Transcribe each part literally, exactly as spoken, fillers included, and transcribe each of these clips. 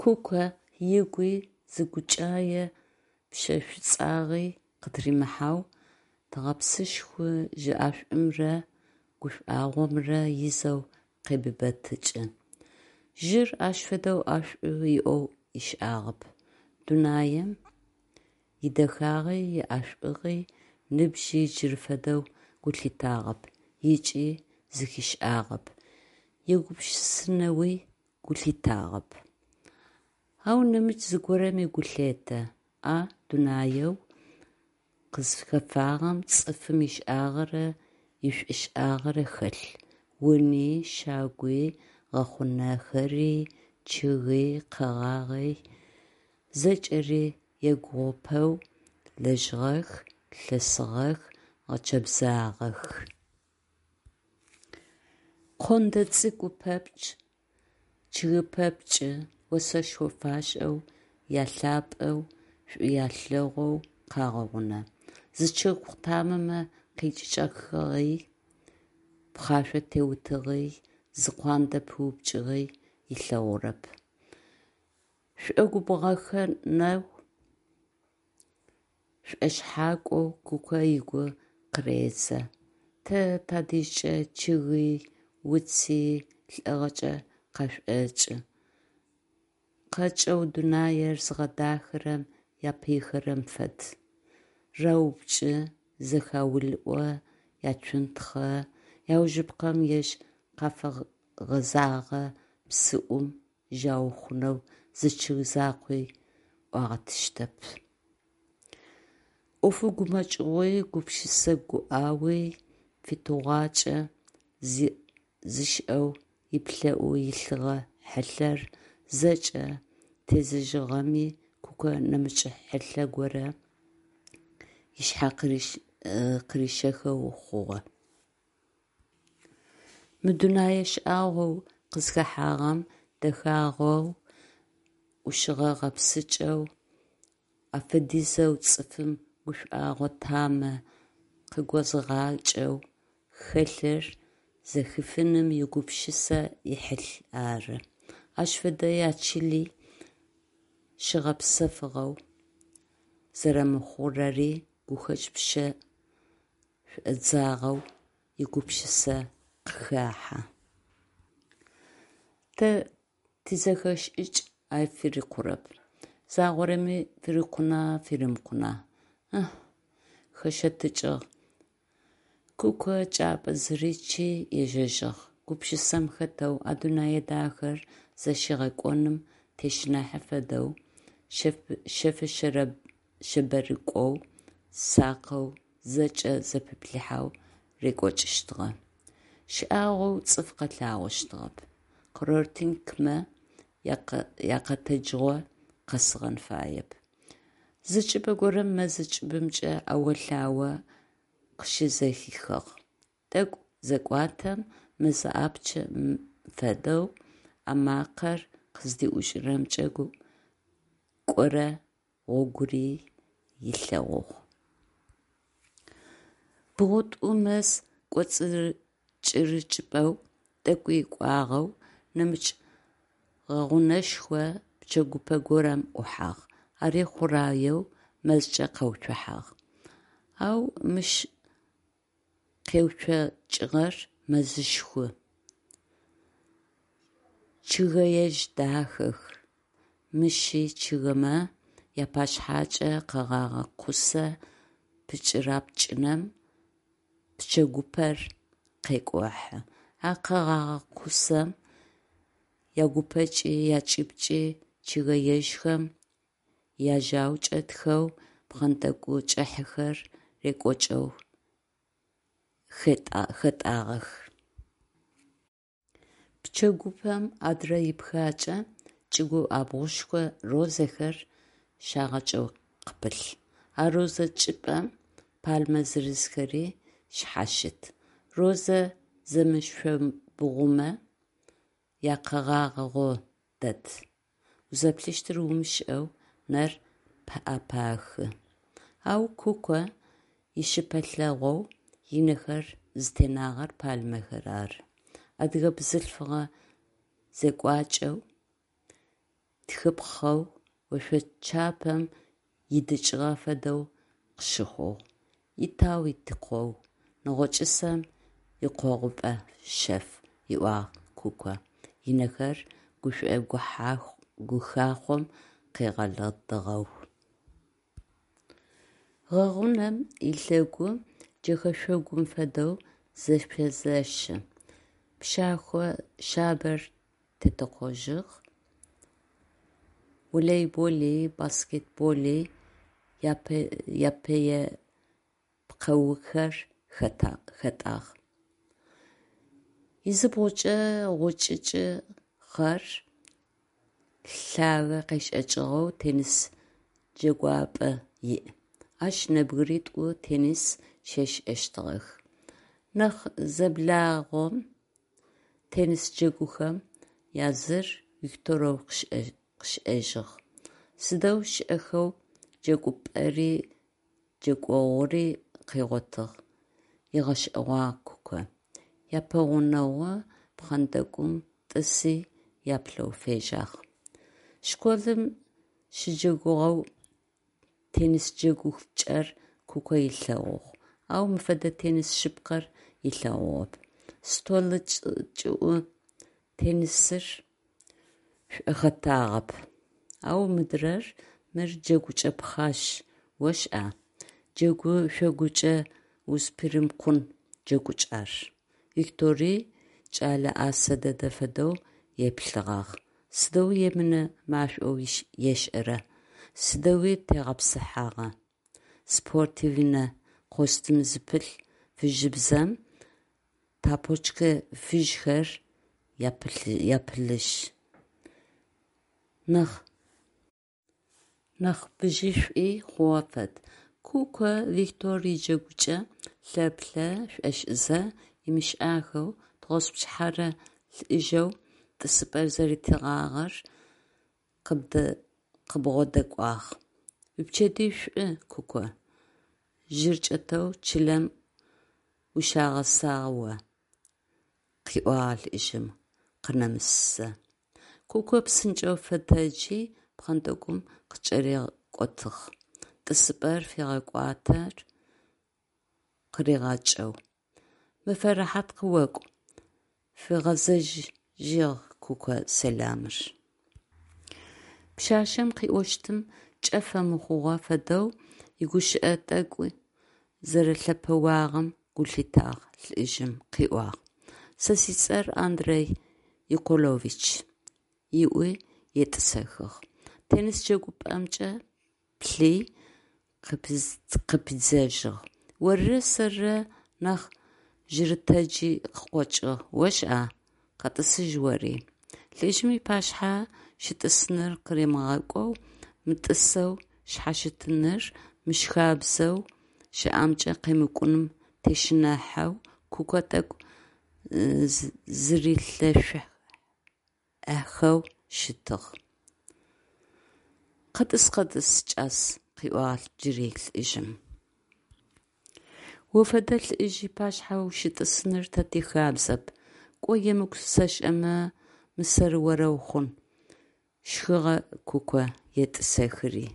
Куко ыгуи зы гукӀае пщэ шӀуцӀагъи къытыримыхьэу, тыгъэпсышхо жьы ӀэшӀумрэ гушӀуагъомрэ изэу къебыбэтыкӀы. Жьыр ащ фэдэу ӀэшӀу иӀэу ышӀагъэп. Дунаим идэхагъи иӀэшӀугъи ныбжьи джыры фэдэу гу лъитагъэп ыкӀи зэхишӀагъэп, егупшысэнэуи гу лъитагъэп. Ау нэмыкӀ зыгорэми гу лъетэ: а дунаеу къызхэфагъэм цӀыфым ишӀагъэрэ ишӀушӀагъэрэ хэлъ: уни, щагуи, гъэхъунэхэри, чъыги, къэгъагъи – зэкӀэри егугъупэу лэжьыгъэх, лъэсыгъэх, гъэчэбзагъэх. Кондэ цӀыкӀу пэпчъ, чъыгы пэпчъы осэшхо фашӀэу, ялъапӀэу, шӀу алъэгъоу къагъэгъунэ. Зы чъыг къутамэмэ къикӀыкӀэхыгъи, пхъашъо теутыгъи, зы куандэ пыупкӀыгъи ылъэгъурэп. ШӀогубгъэхэнэу, шӀошъхьакӀоу Куко ыгу къыредзэ: «Тэ тадэжькӀэ чъыги, уци лӀэгъэкӀэ къашӀокӀы, къэкӀэу дунаир зыгъэдахэрэм япыйхэрэм фэд: раупкӀы, зэхаулӀо, ацунтхъэ, аужыпкъэм ежь къафэгъэзагъэ псыӀум жьау хъунэу зы чъыг закъуи Ӏуагъэтыщтэп». Ӏофы гумэкӀыгъуи, гупшысэ гуӀауи фитыгъуакӀэ зышӀэу ыплӀэӀу илъыгъэ хьылъэр зэкӀэ тезыжьыгъэми, Куко нэмыкӀ хьылъэ горэ ышъхьэ къырищэхэу хъугъэ. Мы дунэе шӀагъоу къызхэхьагъэм дэхагъэу, Ӏушыгъэ-гъэпсыкӀэу, афэдизэу цӀыфым гушӀуагъо тамэ къыгозыгъакӀэу хэлъыр зэхифыным игупшысэ ихьылъ ары. Ащ фэдэ ячыли щыгъэпсэфыгъэу зэрэмыхъурэри гухэкӀ пщэ шӀодзагъэу игупшысэ къыхахьэ. Тэ тизэхэшӀыкӀ ар фырикъурэп. Загъорэми фырикъуна, фыримыкъуна? Ыхьы! ХэщэтыкӀыгъ. Куко кӀапӀэ зыричи ежьэжьыгъ. Гупшысэм хэтэу, а дунэе дахэр зэщигъэкъоным тещыныхьэ фэдэу, шъэф шъэбэрыкӀоу, сакъэу зэкӀэ зэпиплъыхьэу рекӀокӀыщтыгъэ. ШӀагъоу цӀыф къэлъагъощтыгъэп. Курортникмэ якъэтэджыгъо къэсыгъэн фаеп. Зы чӀыпӀэ горэм мэзы кӀыбымкӀэ Ӏэо-лъао къыщызэхихыгъ. ТӀэкӀу зэкӀуатэм, мэз ӏапчъэм фэдэу а макъэр къыздиӀукӀырэмкӀэ кӀорэ гъогури ылъэгъугъ. БгъутӀу мэз кӀоцӀкӀырыкӀыпӀэу тӀэкӀуи кӀуагъэу, нэмыкӀ гъэгъунэшхо пчэгупэ горэм Ӏухьагъ. Ари хъураеу мэзкӀэ къэуцухьагъ. Ау мыщ къеуцокӀыгъэр мэзышху, чъыгэежъ дахэх, мыщи чъыгымэ япашъхьакӀэ къэгъэгъэ кусэ пчыра-пкӀынэм пчэгупэр къекӀухьэ. А къэгъэгъэ кусэм ягупэкӀи якӀыбкӀи чъыгэежъхэм яжьау чӀэтхэу пхъэнтӀэкӀу кӀыхьэхэр рекӀокӀэу хэтӀагъэх. Пчэгупэм адрэ ипхэкӀэ чӀыгу Ӏабгъушхо розэхэр щагъэкӀэу къыпылъ. А розэ чӀыпӀэм пальмэ зырызхэри шъхьащыт. Розэ зэмышъомбгъумэ якъэгъагъэгъо дэд, узэплъыщтыр умышӀэу нэр пӀэпахы. Ау Куко ищыпэлъэгъоу ынэхэр зытенагъэр пальмэхэр ары. Адыгэ бзылъфыгъэ зекӀуакӀэу тхыпхъэу ошъочапэм идыкӏыгъэ фэдэу къыщыхъугъ. Итау итыкъоу, нэгъочӏысэм икъогъупӏэ шъэф, ыӏуагъ Куко, ынэхэр гушӏо-гухахъом къыгъэлыдыгъэу. Гъэгъунэм ылъэгу джэхэшъогум фэдэу зэфэзэщы, пшэхъо шъабэр тетэкъожьыгъ, волейболи, баскетболи япэе пкъэухэр хэтӏагъ. Изыбгъукӏэ гъучӏычы хъэр лъагэ къешӏэкӏыгъэу теннис джэгупӏэ иӏ. Ащ нэбгыритӏу теннис щешӏэщтыгъэх. Нахь зэблагъэм теннис джэгухэм языр Викторэу къышӏэжьыгъ. Сыдэу шӏэхэу джэгупӏэри джэгогъури къыгъотыгъ, ыгъэшӏэгъуагъ Куко, япэгъунэгъу пхъэнтӏэкӏум тӏыси яплъэу фежьагъ. Школым щыджэгугъэу теннис джэгукӏэр Куко ылъэгъугъ, ау мыщ фэдэ теннис шъыпкъэр ылъэгъугъэп. Столы кӏыӏу теннисыр шӏохэтагъэп, ау мыдырэр, мыр джэгукӏэ пхъаш, ошӏа, джэгу-шъогукӏэ узпыримкъун джэгукӏ ар. Виктори кӏэлэ ӏасэ дэдэ фэдэу еплъыгъагъ: сыдэу емынэ машӏоу ешӏэра, сыдэуи тегъэпсыхьагъа, спортивнэ костюм зыпылъ фыжьыбзэм тапочкэ фыжьхэр япылъыжь, нахь бжьышӏуи хъугъэ фэд. Куко Виктор иджэгукӏэ лъэплъэ шӏошӏызэ, ымышӏахэу, тыгъоспчыхьэрэ лӏыжъэу тӏысыпӏэр зэритыгъагъэр къыбгъодэкӏуагъ. Уипчэдыжь шӏу, Куко, жьыр кӏэтэу чылэм ущагъэсагъ о, къыӏуагъ лӏыжъым, къынэмысызэ. Куко псынкӏэу фэтэджи, пхъэнтӏэкӏум къыкӏэрикӏотыгъ, тӏысыпӏэр фигъэкӏуатэр къыригъэкӏэу. Мэфэ рэхьат къыокӏу, фигъэзэжьыгъ Куко сэламыр. Пшъашъэм къыӏощтым кӏэ фэмыхъугъэ фэдэу игущыӏэ тӏэкӏу зэрэлъэпэуагъэм гу лъитагъ лӏыжъым, къыӏуагъ: «Сэ сцӏэр Андрей Николович», – ыӏуи етӏысэхыгъ. Теннис джэгупӏэмкӏэ плъи, къыпидзэжьыгъ: «Орырэ сэрырэ нахь жьырытэджи къыкъокӏыгъ, ошӏа, къэтӏысыжь ори». Лӏыжъым ыпашъхьэ щытӏысыныр къыримыгъэкӏоу, мытӏысэу шъхьащытыныр мыщ хабзэу щыӏэмкӏэ къемыкӏуным тещыныхьэу Куко тӏэкӏу зырилъэшъухьэу щытыгъ. Къэтӏыс, къэтӏыс, сикӏас, къыӏуагъ джыри лӏыжъым. О фэдэ лӏыжъ ыпашъхьэ ущытӏысыныр тэ тихабзэп, кӏо емыкӏу сэшӏымэ, мысэр орэу хъун, щхыгъэ Куко, етӏысэхри.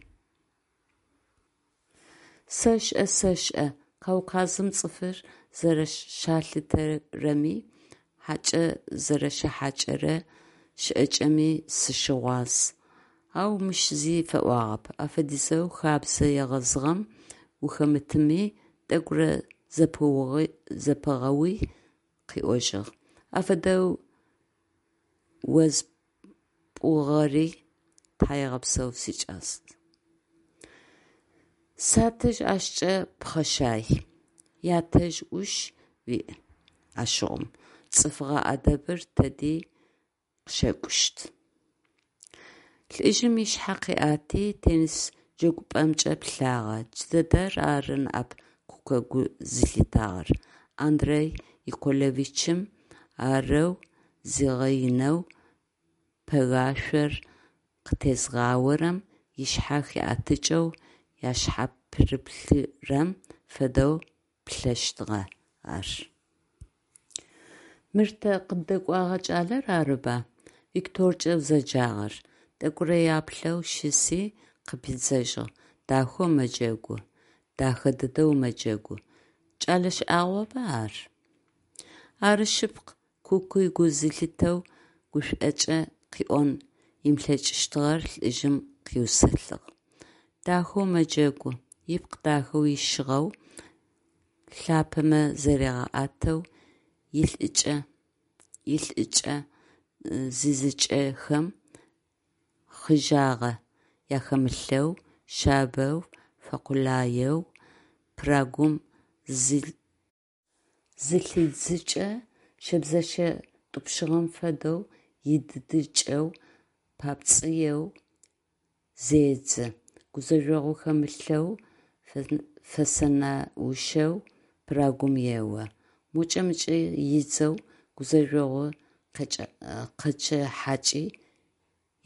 Сэшӏэ, сэшӏэ, Кавказым цӏыфыр зэрэщалъытэрэми, хьакӏэ зэрэщахьакӏэрэ щыӏакӏэми сыщыгъуаз, ау мыщ зи фэӏуагъэп, афэдизэу хэбзэ егъэзыгъэм ухэмытыми, тӏэкӏурэ зэпигъэуи, къыӏожьыгъ: Афэдэу узэрэспӏугъэри тхьаегъэпсэу, сикӏал. Сятэжъ ащкӏэ пхъэшай. Ятэжъ ӏуш уиӏ ащыгъум, цӏыфыгъэ ӏэдэбыр тэди къыщэкӏущт. Лӏыжъым ышъхьэ къыӏэти, теннис джэгупӏэмкӏэ плъагъэ. Джыдэдэр ары ныӏэп Куко гу зылъитагъэр: Андрей Николаевичым арэу зигъэинэу пэгашъор къытезгъаорэм ышъхьэ хиӏэтыкӏэу яшъхьапырыплъырэм фэдэу плъэщтыгъэ ар. Мыр тэ къыддэкӏогъэ кӏалэр арыба Викторкӏэ узэджагъэр? Тӏэкӏурэ яплъэу щыси, къыпидзэжьыгъ: «Дахэу мэджэгу, дэхэ дэдэу мэджэгу, кӏэлэ шӏагъоба ар?». Ары шъыпкъ, Куки гу зылъитэу гушӏокӏэ къыӏон ымылъэкӏыщтыгъэр лӏыжъым къыусэлыгъ: «Дахэу мэджэгу, ыпкъ дахэу ищыгъэу, лъапэмэ заригъэӏэтэу, илӏыкӏэ зидзыкӏэхэм хъыжъагъэ ахэмылъэу, шъабэу, фэкъулаеу пирогум зылъидзыкӏэ, щэбзэщэ тӏупщыгъэм фэдэу идыдыкӏэу, папцӏэу зедзы, гузэжъогъу хэмылъэу, фэсэнаущэу пирогум ео, мокӏэ-мыкӏэ идзэу гузэжъогъу къечъыхьакӏи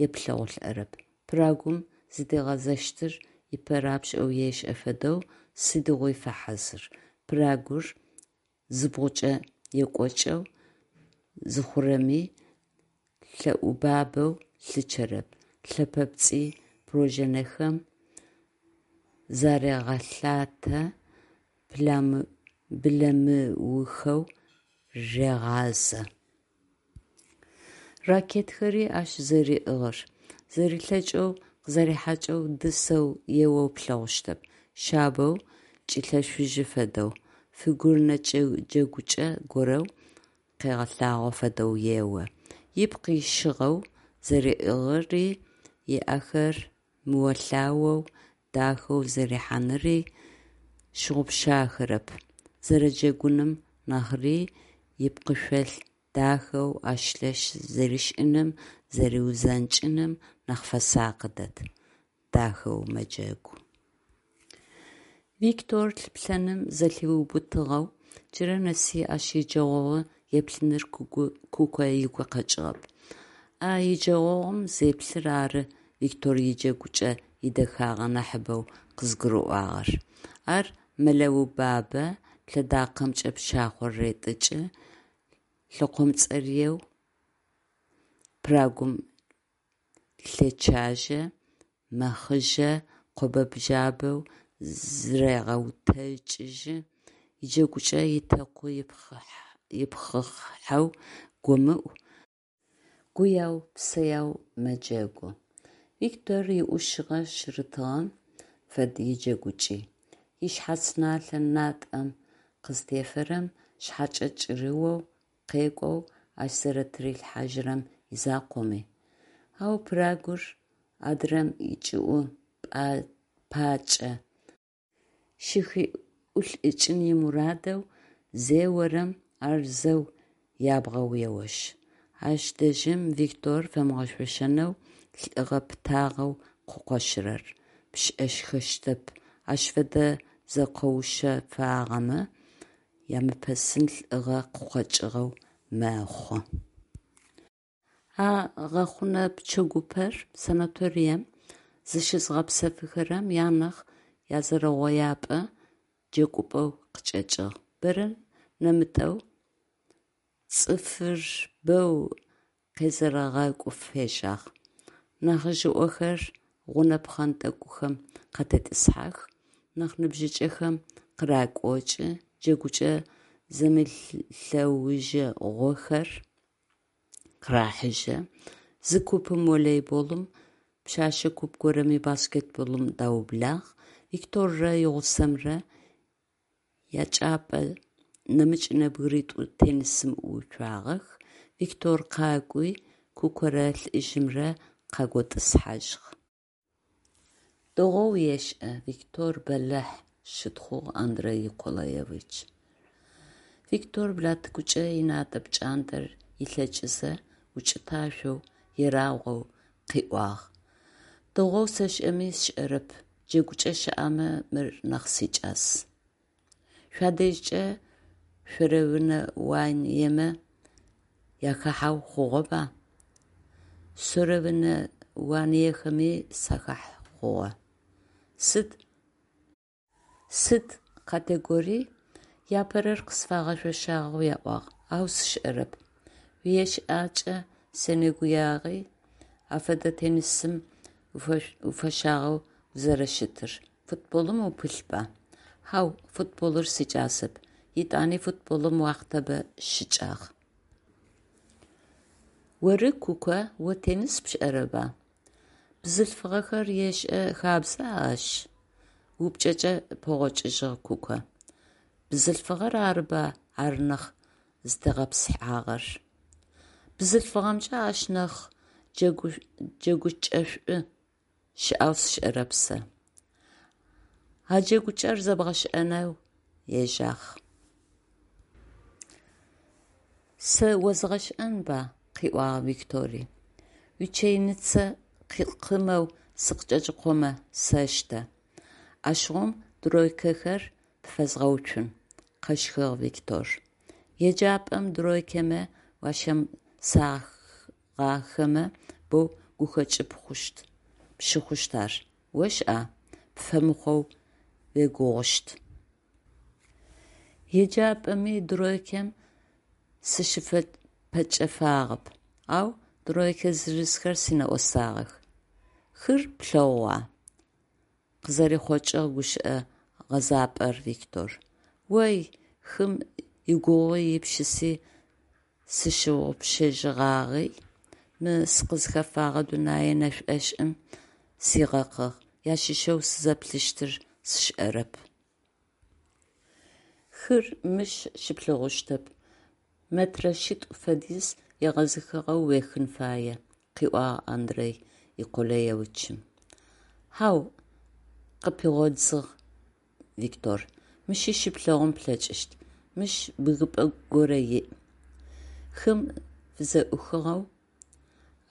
еплъэгъулӏэрэп, пирогум зыдигъэзэщтыр ыпэ рапшӏэу ешӏэ фэдэу сыдигъуи фэхьазыр, пирогур зыбгъукӏэ екӏокӏэу зыхъурэми лъэӏубабэу лъычъэрэп, лъэпэпцӏый пружинэхэм зарегъэлъатэ, блэмыухэу регъазэ. Ракеткэри ащ зэриӏыгъыр, зэрилъэкӏэу къызэрихьакӏэу дысэу еоу плъэгъущтэп, шъабэу, кӏилъэшъужьы фэдэу, фигурнэ джэгукӏэ горэу къегъэлъагъо фэдэу ео. Ыпкъ ищыгъэу зэриӏыгъыри, ыӏэхэр мыолъаоу дахэу зэрихьаныри щыгъупшахэрэп, зэрэджэгуным нахьри ыпкъышъол дахэу ӏэщ-лъэщ зэришӏыным, зэриузэнкӏыным нахь фэсакъы дэд. Дахэу мэджэгу. Виктор лъыплъэным зэлъиубытыгъэу, джырэ нэси ащ иджэгъогъу еплъыныр Куко ыгу къэкӏыгъэп. А иджэгъогъум зеплъыр ары Виктор иджэгукӏэ идэхагъэ нахьыбэу къызыгурыӏуагъэр. Ар мэлэубабэ, лъэдакъэмкӏэ пшахъор ретӏыкӏы, лъэкъомцӏэрыеу пирогум лъечъажьэ, мэхъыжъэ, къобэ-бжъабэу зырегъэутэкӏыжьы, иджэгукӏэ итэкъу-ипхъыхьэу гомыӏу, гуяу-псэяу мэджэгу. Виктор иӏушыгъэ-шъырытыгъэм фэд иджэгукӏи: ышъхьац налъэ натӏэм къызтефэрэм, шъхьэкӏэ кӏырыоу, къекӏоу ащ зэрэтырилъхьажьырэм изакъоми. Ау пирогур адрэм ыкӏыӏу пакӏэ щыхиӏулӏыкӏын имурадэу зеорэм, ар зэу ябгъэу еошъ. Ащ дэжьым Виктор фэмыгъэшъошэнэу лӏыгъэ-пытагъэу къыкъощырэр пшӏэхэщтэп, ащ фэдэ зэкъоушъэфагъэмэ ямыпэсын лӏыгъэ къыкъокӏыгъэу мэхъу. А гъэхъунэ пчэгупэр санаторием зыщызыгъэпсэфыхэрэм янахь язэрэугъоипӏэ джэгупӏэу къычӏэкӏыгъ. Бэрэ нэмытӏэу цӏыфыр бэу къезэрэгъэкӏу фежьагъ. Нахьыжъыӏохэр гъунэ пхъэнтӏэкӏухэм къатетӏысхьэх, нахь ныбжьыкӏэхэм къыракӏокӏы, джэгукӏэ зэмылӏэужыгъохэр къырахьыжьэ: зы купым волейболым, пшъэшъэ куп горэми баскетболым даублагъ. Викторрэ игъусэмрэ ячӏыпӏэ нэмыкӏ нэбгыритӏу теннисым ӏууцуагъэх. Виктор къакӏуи Кукорэ лӏыжъымрэ къаготӏысхьажьыгъ. Дэгъоу ешӏэ, Виктор бэлахь, – щытхъугъ Андрей Николаевич. Виктор блатыкӏукӏэ ынатӏэ пкӏантӏэр ылъэкӏызэ, укӏыташъоу, ерагъоу къыӏуагъ: – Дэгъоу сэшӏэми сшӏэрэп, джэгукӏэ щыӏэмэ мыр нахь сикӏас. Шъуадэжькӏэ соревнованиемэ уахэхьэу хъугъэба? Соревнованиехэми сахахьэ хъугъэ. Сыд Сыд категорий? Апэрэр къысфагъэшъошагъэу аӏуагъ, ау сшӏэрэп. Уиешӏакӏэ сенэгуягъи, Афэдэ теннисым уфэщагъэу узэрэщытыр. Футболым упылъба? Хьау, футболыр сикӏасэп. Етӏани футболым уахътабэ щыкӏагъ. Оры, Куко, о теннис пшӏэрэба? Бзылъфыгъэхэр ешӏэ хабза ащ? – упчӏэкӏэ пэгъокӏыжьыгъ Куко. Бзылъфыгъэр арыба ар нахь зытегъэпсыхьагъэр. Бзылъфыгъэмкӏэ ащ нахь джэгукӏэшӏу щыӏэу сшӏэрэп сэ. А джэгукӏэр зэбгъэшӏэнэу ежьагъ. Сэ озгъэшӏэнба? – къыӏуагъ Виктори. Уичэйныцэ къымэу сыкъыкӏэкӏыкъомэ, сэштэ. Ащыгъум тройкэхэр пфэзгъэуцун, – къэщхыгъ Виктор. Еджапӏэм тройкэмэ уащемысагъахэмэ боу гухэкӏы пщыхъущт ар, ошӏа? Пфэмыхъоу уегугъущт. Еджапӏэми тройкэм сыщыпэкӏэфагъэп, ау тройкэ зырызхэр синэӏосагъэх. Хыр плъэгъугъа? – къызэрихъокӏыгъ гущыӏэ гъэзапӏэр Виктор. Ой, хым игугъуи ипшыси сщыгъупшэжьыгъагъи, мы сыкъызхэфэгъэ дунэе нэшӏошӏым сигъэкъыгъ, ащыщэу сызэплъыщтыр сшӏэрэп. Хыр мыщ щыплъэгъущтэп, метрэ шъитӏу фэдиз егъэзыхыгъэу уехын фае, – къыӏуагъ Андрей Николаевичым. Хьау, – къыпигъодзыгъ Виктор, – мыщи щыплъэгъун плъэкӏыщт, мыщ бгыпӏэ горэ иӏ, хым фызэӏухыгъэу.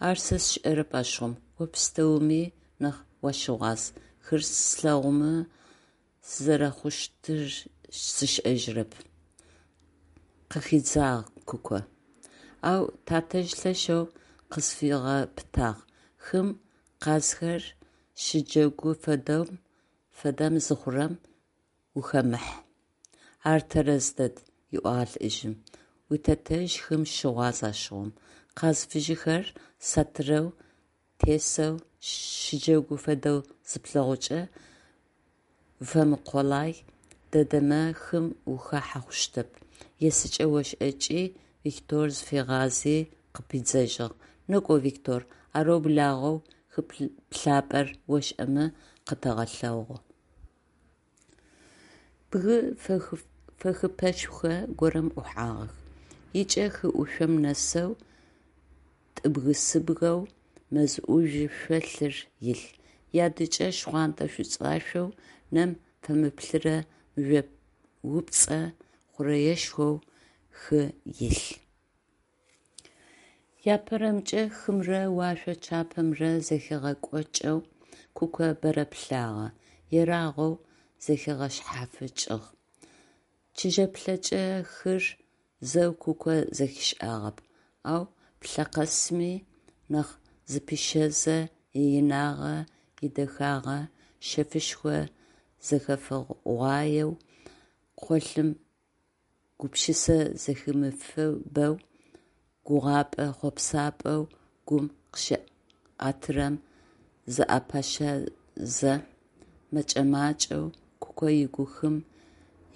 Ар сэ сшӏэрэп ащыгъум, о пстэуми нахь уащыгъуаз, хыр слъэгъумэ сызэрэхъущтыр сшӏэжьырэп, – къыхидзагъ Куко. Ау татэжъ лъэшэу къысфигъэпытагъ: хым къазхэр щыджэгу фэдэм зыхъурэм ухэмыхь. Ар тэрэз дэд, – ыӏуагъ лӏыжъым, – уитэтэжъ хым щыгъуаз ащыгъум. Къаз фыжьыхэр сатырэу тесэу щыджэгу фэдэу зыплъэгъукӏэ, уфэмыкъулай дэдэмэ хым ухахьэ хъущтэп, есыкӏэ ошӏэкӏи, Виктор зыфигъази къыпидзэжьыгъ: Некӏо, Виктор, арэу благъэу хы плъапӏэр ошӏэмэ къэтэгъэлъэгъу. Бгы фэхыпӏэшхо горэм ӏухьагъэх. Ыкӏэ хы ӏушъом нэсэу тӏыбгы-сыбгэу мэз ӏужъу шъолъыр илъ. Ядыкӏэ шхъуантӏэ-шӏуцӏашъоу, нэм фэмыплъырэ мыжъоупцӏэ хъурэешхоу хы илъ. Апэрэмкӏэ хымрэ ошъо чапэмрэ зэхигъэкӏокӏэу Куко бэрэ плъагъэ, ерагъоу зэхигъэушъхьафыкӏыгъ. Чыжьэплъэкӏэ хыр зэу Куко зэхишӏагъэп, ау плъэ къэсми нахь зыӏэпищэзэ, иинагъэ, идэхагъэ шъэфышхо зэхэфыгъуаеу къолъым, гупшысэ зэхимыфыбэу, гугъапӏэ-хъопсапӏэу гум къыщиӏэтырэм зыӏэпащэзэ, мэкӏэ-макӏэу Куко ыгу хым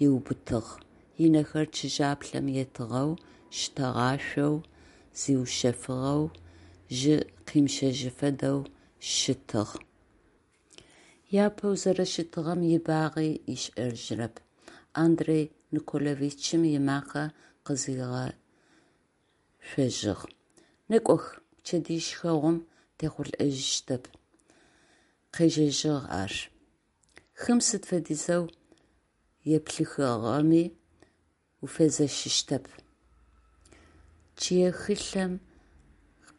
ыубытыгъ, ынэхэр чыжьаплъэм етыгъэу, щтэгъашъоу, зиушъэфыгъэу, жьы къимыщэжьы фэдэу щытыгъ. Апэу зэрэщытыгъэм ибагъи ышӏэжьырэп. Андрей Николаевичым ымакъэ къызигъэшъожьыгъ: «Некӏох, пчэдыжь шхэгъум техъулӏэжьыщтэп», – къежэжьыгъ ар. Хым сыд фэдизэу уеплъыхыгъэми уфэзэщыщтэп. Чъые хьылъэм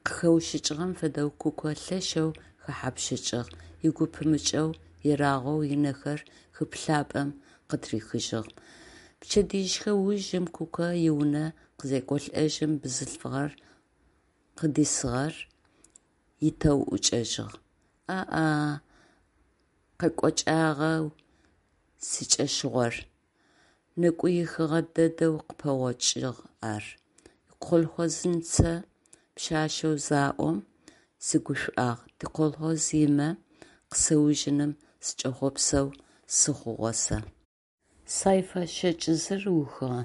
къыхэущыкӏыгъэм фэдэу Куко лъэшэу хэхьапщыкӏыгъ, ыгу пымыкӏэу ерагъэу ынэхэр хы плъапӏэм къытырихыжьыгъ. Пчэдыжьшхэ ужым Куко иунэ къызекӏолӏэжьым, бзылъфыгъэр къыдисыгъэр итэу ӏукӏэжьыгъ. А-а, къэкӏокӏагъэу сикӏэщыгъор! Нэкӏуихыгъэ дэдэу къыпэгъокӏыгъ ар. Колхозынцэ пшъашъэу заӏом, сыгушӀуагъ, тиколхоз имэ къысэужьыным сыкӀэхъопсэу сыхъугъэ сэ. Сайфа щэкӀ зыр ухыгъэ.